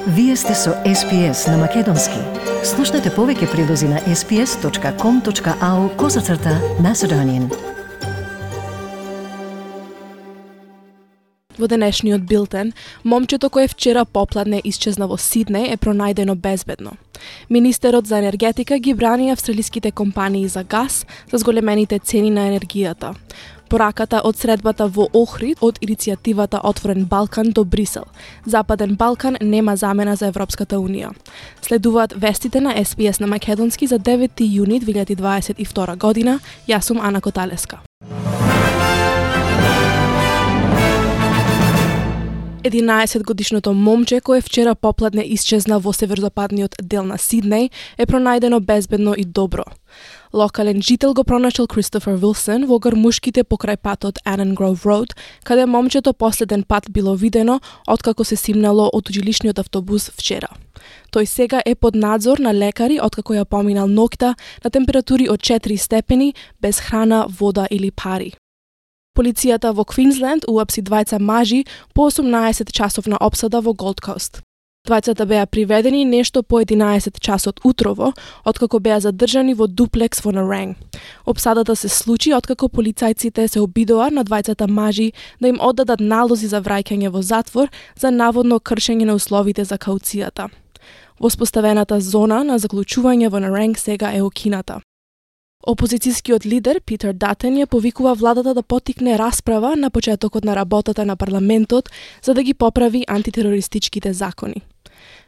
Вие сте со SPS на Македонски. Слушнете повеќе прилози на sps.com.au/Macedonian. Во денешниот билтен, момчето кое вчера попладне исчезна во Сиднеј е пронајдено безбедно. Министерот за енергетика ги брани австралиските компании за газ за зголемените цени на енергијата. Пораката од средбата во Охрид од иницијативата Отворен Балкан до Брисел. Западен Балкан нема замена за Европската Унија. Следуваат вестите на SPS на Македонски за 9 јуни 2022 година. Јас сум Ана Коталеска. 11-годишното момче кое вчера попладне исчезна во северозападниот дел на Сиднеј е пронајдено безбедно и добро. Локален жител го пронаšал Кристофер Вилсон во грмушките покрај патот Annan Grove Road, каде момчето последен пат било видено откако се симнало од жилишниот автобус вчера. Тој сега е под надзор на лекари откако ја поминал ноќта на температури од 4 степени, без храна, вода или пари. Полицијата во Квинсленд уапси двајца мажи по 18 часовна опсада во Голд Кост. Двајцата беа приведени нешто по 11 часот утрово, откако беа задржани во дуплекс во Наранг. Опсадата се случи откако полицајците се обидоа на двајцата мажи да им оддадат налози за враќање во затвор за наводно кршење на условите за кауцијата. Воспоставената зона на заклучување во Наранг сега е окината. Опозицијскиот лидер Питер Датен ја повикува владата да поттикне расправа на почетокот на работата на парламентот за да ги поправи антитерористичките закони.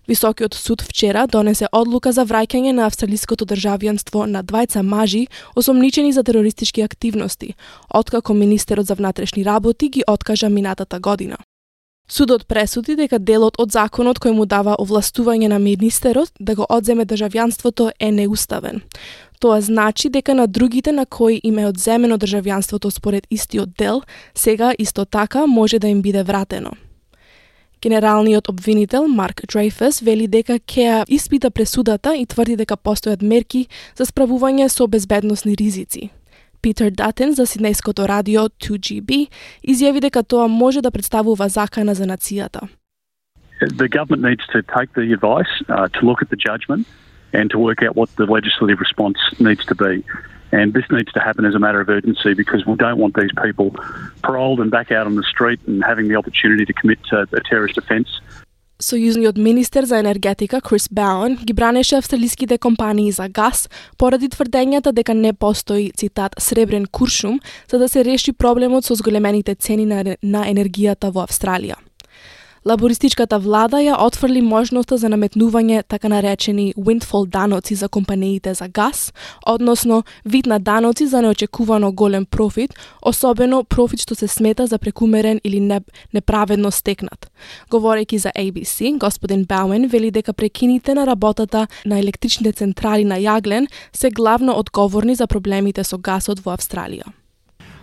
Високиот суд вчера донесе одлука за враќање на австралиското државјанство на двајца мажи осомничени за терористички активности, откако министерот за внатрешни работи ги откажа минатата година. Судот пресуди дека делот од законот кој му дава овластување на министерот да го одземе државјанството е неуставен. Тоа значи дека на другите на кои им е одземено државјанството според истиот дел, сега исто така може да им биде вратено. Генералниот обвинител Марк Дрейфус вели дека ќе испита пресудата и тврди дека постојат мерки за справување со безбедносни ризици. Питер Датен за сиднејското радио 2GB изјави дека тоа може да представува закана за нацијата. The government needs to take the advice, to look at the judgment and to work out what the legislative response needs to be. And this needs to happen as a matter of urgency because we don't want these people paroled and back out on the street and having the opportunity to commit a terrorist offence. Сојузниот министер за енергетика Крис Бауен ги бранеше австралиските компании за газ поради тврдењата дека не постои, цитат, сребрен куршум за да се реши проблемот со зголемените цени на енергијата во Австралија. Лабористичката влада ја отфрли можноста за наметнување така наречени windfall даноци за компаниите за газ, односно вид на даноци за неочекувано голем профит, особено профит што се смета за прекумерен или неправедно стекнат. Говорејќи за ABC, господин Бауен вели дека прекините на работата на електричните централи на јаглен се главно одговорни за проблемите со гасот во Австралија.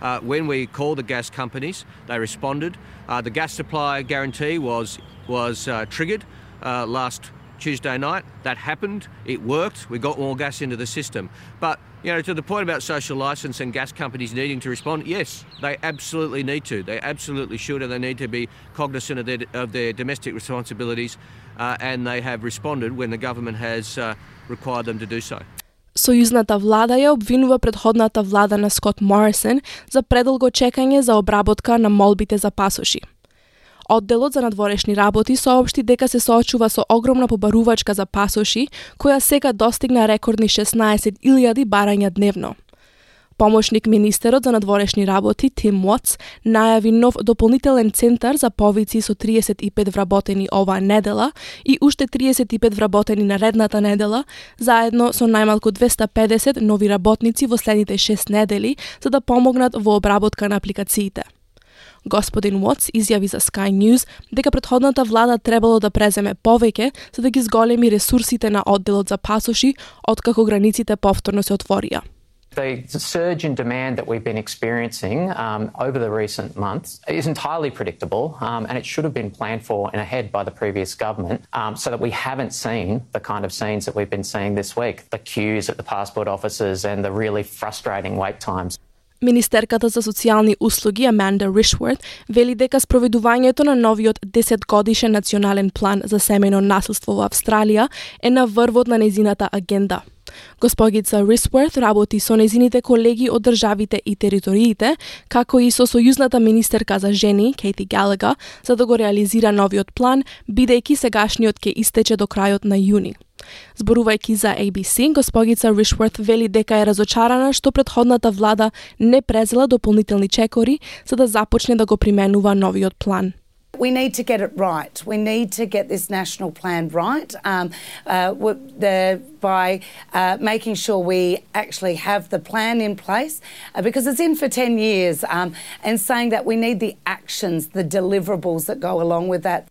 When we called the gas companies, they responded. The gas supply guarantee was triggered last Tuesday night. That happened. It worked. We got more gas into the system. But to the point about social licence and gas companies needing to respond, yes, they absolutely need to. They absolutely should, and they need to be cognisant of their domestic responsibilities. And they have responded when the government has required them to do so. Сојузната влада ја обвинува претходната влада на Скот Морисон за предолго чекање за обработка на молбите за пасоши. Одделот за надворешни работи соопшти дека се соочува со огромна побарувачка за пасоши, која сега достигна рекордни 16.000 барања дневно. Помошник министерот за надворешни работи Тим Уотс најави нов дополнителен центар за повици со 35 вработени оваа недела и уште 35 вработени наредната недела, заедно со најмалку 250 нови работници во следните 6 недели за да помогнат во обработка на апликациите. Господин Уотс изјави за Sky News дека претходната влада требало да преземе повеќе за да ги зголеми ресурсите на одделот за пасоши откако границите повторно се отворија. The surge in demand that we've been experiencing over the recent months is entirely predictable and it should have been planned for and ahead by the previous government so that we haven't seen the kind of scenes that we've been seeing this week, the queues at the passport offices and the really frustrating wait times. Министерката за социјални услуги Amanda Rishworth вели дека спроведувањето на новиот 10-годишен национален план за семејно насилство во Австралија е на врвот на нејзината агенда. Госпогица Rishworth работи со нејзините колеги од државите и териториите, како и со сојузната министерка за жени, Katie Gallagher, за да го реализира новиот план, бидејќи сегашниот ќе истече до крајот на јуни. Зборувајќи за ABC, госпогица Rishworth вели дека е разочарана што претходната влада не презела дополнителни чекори за да започне да го применува новиот план. We need to get it right. We need to get this national plan right by making sure we actually have the plan in place because it's in for 10 years and saying that we need the actions, the deliverables that go along with that.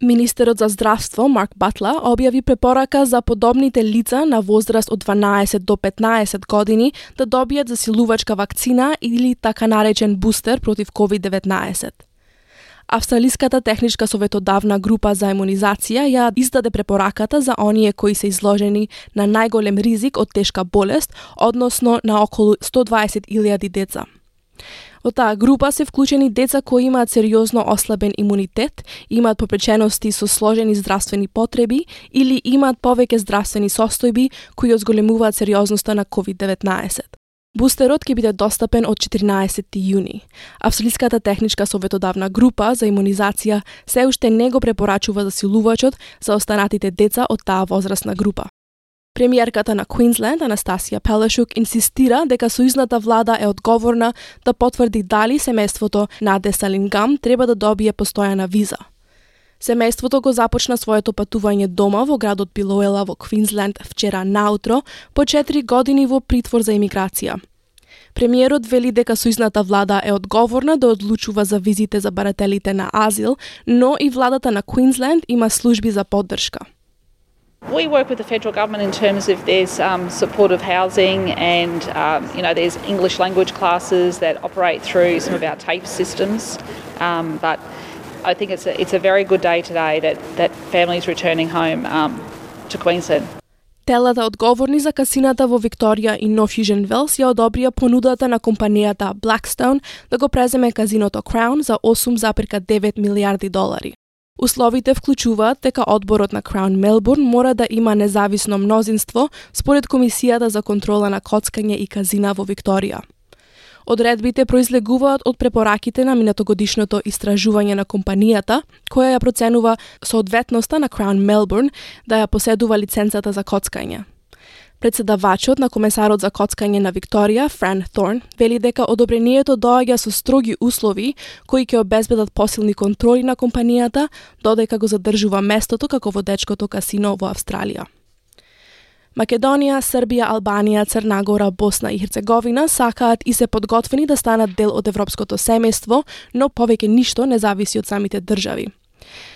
Министерот за здравство Марк Батла објави препорака за подобните лица на возраст од 12 до 15 години да добијат засилувачка вакцина или така наречен бустер против COVID-19. Австралиската техничка советодавна група за имунизација ја издаде препораката за оние кои се изложени на најголем ризик од тешка болест, односно на околу 120.000 деца. Во таа група се вклучени деца кои имаат сериозно ослабен имунитет, имаат попречености со сложени здравствени потреби или имаат повеќе здравствени состојби кои одзголемуваат сериозноста на COVID-19. Бустерот ќе биде достапен од 14 јуни. Австралиската техничка советодавна група за имунизација се уште не го препорачува засилувачот за останатите деца од таа возрастна група. Премиерката на Квинсленд, Анастасија Пелешук, инсистира дека сојузната влада е одговорна да потврди дали семејството на Десалингам треба да добие постојана виза. Семејството го започна своето патување дома во градот Билоела во Квинсленд вчера наутро по 4 години во притвор за имиграција. Премиерот вели дека сојузната влада е одговорна да одлучува за визите за барателите на азил, но и владата на Квинсленд има служби за поддршка. We work with the federal government in terms of there's supportive housing and there's English language classes that operate through some of our TAFE systems. But I think it's a very good day today that families returning home to Queensland. Телата одговорни за касината во Викторија и North Fusion Wells ја одобрија понудата на компанијата Blackstone да го преземе казиното Crown за $8,9 милиарди. Условите вклучуваат дека одборот на Crown Melbourne мора да има независно мнозинство според Комисијата за контрола на коцкање и казина во Викторија. Одредбите произлегуваат од препораките на минатогодишното истражување на компанијата, која ја проценува соодветноста на Crown Melbourne да ја поседува лиценцата за коцкање. Председавачот на комесарот за коцкање на Викторија, Fran Thorne, вели дека одобрението доаѓа со строги услови кои ќе обезбедат посилни контроли на компанијата, додека го задржува местото како водечкото касино во Австралија. Македонија, Србија, Албанија, Црна Гора, Босна и Херцеговина сакаат и се подготвени да станат дел од европското семејство, но повеќе ништо не зависи од самите држави.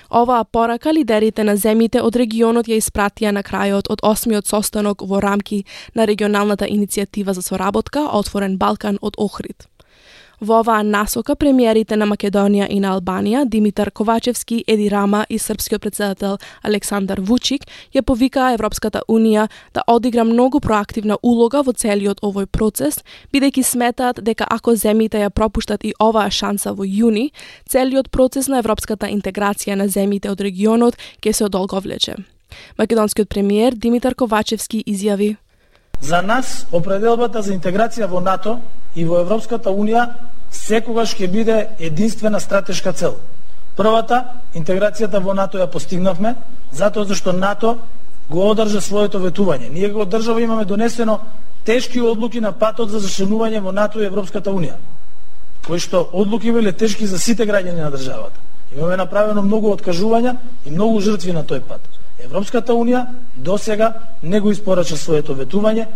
Оваа порака лидерите на земјите од регионот ја испратија на крајот од 8-миот состанок во рамки на регионалната иницијатива за соработка Отворен Балкан од Охрид. Во оваа насока премиерите на Македонија и на Албанија, Димитар Ковачевски, Еди Рама и српскиот председател Александар Вучик ја повикаа Европската Унија да одигра многу проактивна улога во целиот овој процес, бидејќи сметаат дека ако земјите ја пропуштат и оваа шанса во јуни, целиот процес на европската интеграција на земјите од регионот ќе се одолговлече. Македонскиот премиер Димитар Ковачевски изјави: За нас определбата за интеграција во НАТО и во Европската Унија секогаш ќе биде единствена стратешка цел. Првата, интеграцијата во НАТО ја постигнавме, затоа зашто НАТО го одржа своето ветување. Ние го држава имаме донесено тешки одлуки на патот за зачленување во НАТО и Европската Унија, кои што одлуки биле тешки за сите граѓани на државата. Имаме направено многу откажувања и многу жртви на тој пат. Европската Унија досега не го испорача своето ветување.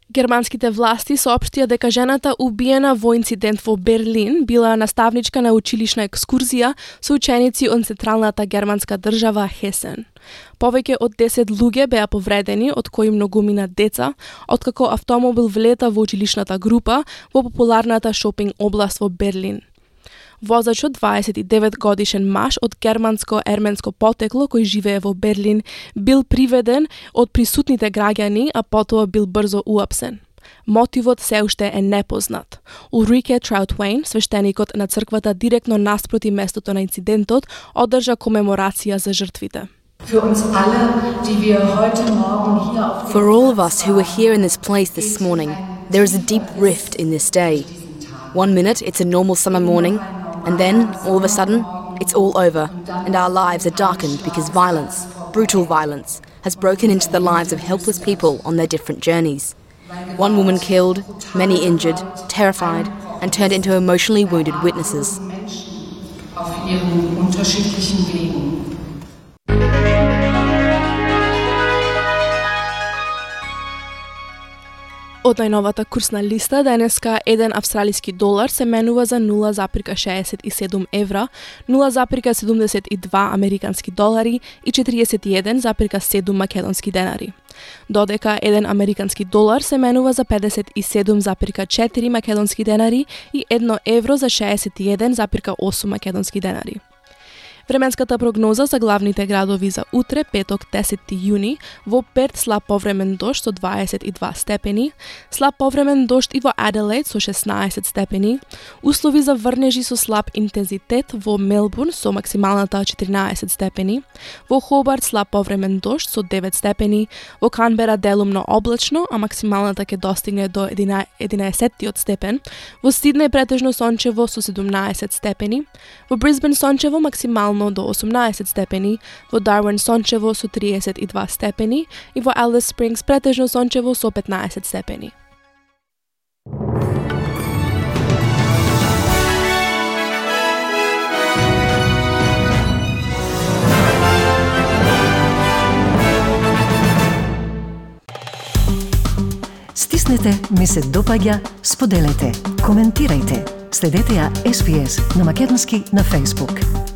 Германските власти соопштија дека жената убиена во инцидент во Берлин била наставничка на училишна екскурзија со ученици од централната германска држава Хесен. Повеќе од 10 луѓе беа повредени, од кои многумина деца, откако автомобил влета во училишната група во популарната шопинг област во Берлин. Возачот, 29 годишен маж од германско-ерменско потекло кој живее во Берлин, бил приведен од присутните граѓани, а потоа бил брзо уапсен. Мотивот се уште е непознат. Улрике Траутвейн, свештеникот на црквата директно наспроти местото на инцидентот, одржа комеморација за жртвите. For all of us who were here in this place this morning, there is a deep rift in this day. 1 minute it's a normal summer morning, and then, all of a sudden, it's all over, and our lives are darkened because violence, brutal violence, has broken into the lives of helpless people on their different journeys. 1 woman killed, many injured, terrified, and turned into emotionally wounded witnesses. Од најновата курсна листа, денеска еден австралиски долар се менува за 0,67 евра, 0,72 американски долари и 41,7 македонски денари. Додека еден американски долар се менува за 57,4 македонски денари и 1 евро за 61,8 македонски денари. Временската прогноза за главните градови за утре, петок 10 јуни, во Перт слаб повремен дожд со 22 степени, слаб повремен дожд и во Аделаид со 16 степени, услови за врнежи со слаб интензитет во Мелбурн со максималната 14 степени, во Хобарт слаб повремен дожд со 9 степени, во Канбера делумно облачно, а максималната ќе достигне до 11 степен, во Сиднеј претежно сончево со 17 степени, во Брисбен сончево максимално до 18 степени, во Дарвин сончево со 32 степени и во Алис Спрингс претежно сончево со 15 степени. Стиснете, ми се допаѓа, споделете, коментирајте. Следете ја SPS на Македонски на Facebook.